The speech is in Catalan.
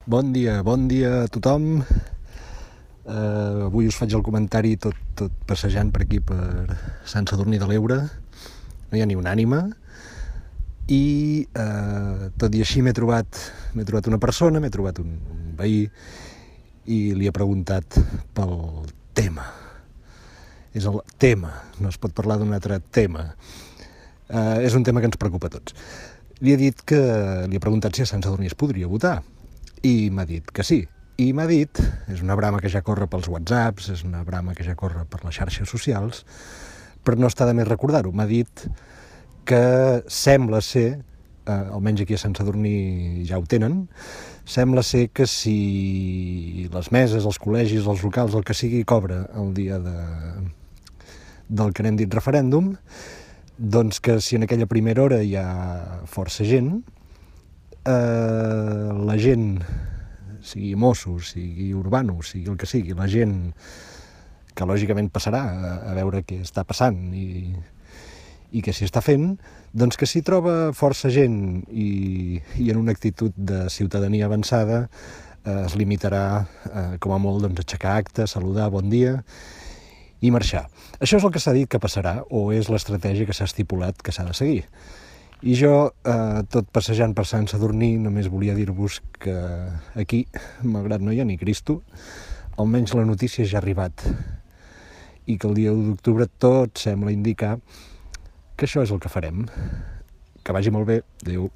Bon dia a tothom. Avui us faig el comentari tot passejant per aquí, per Sant Sadurní de l'Eure. No hi ha ni una ànima. I tot i així m'he trobat una persona, m'he trobat un veí i li he preguntat pel tema. És el tema, no es pot parlar d'un altre tema. És un tema que ens preocupa a tots. Li he preguntat si a Sant Sadurní es podria votar i m'ha dit que sí. I m'ha dit, és una brama que ja corre pels WhatsApps, és una brama que ja corre per les xarxes socials, però no està de més recordar-ho. M'ha dit que sembla ser, almenys aquí a Sant Sadurní ja ho tenen, sembla ser que si les meses, els col·legis, els locals, el que sigui, cobra el dia del que n'hem dit referèndum, doncs que si en aquella primera hora hi ha força gent, la gent, sigui Mossos, sigui urbanos, sigui el que sigui, la gent que lògicament passarà a veure què està passant i què s'hi està fent, doncs que si troba força gent i en una actitud de ciutadania avançada es limitarà com a molt doncs, a aixecar acte, saludar, bon dia i marxar. Això és el que s'ha dit que passarà o és l'estratègia que s'ha estipulat que s'ha de seguir. I jo, tot passejant per Sant Sadurní, només volia dir-vos que aquí, malgrat no hi ha ni Cristo, almenys la notícia ja ha arribat i que el dia 1 d'octubre tot sembla indicar que això és el que farem. Que vagi molt bé. Adéu.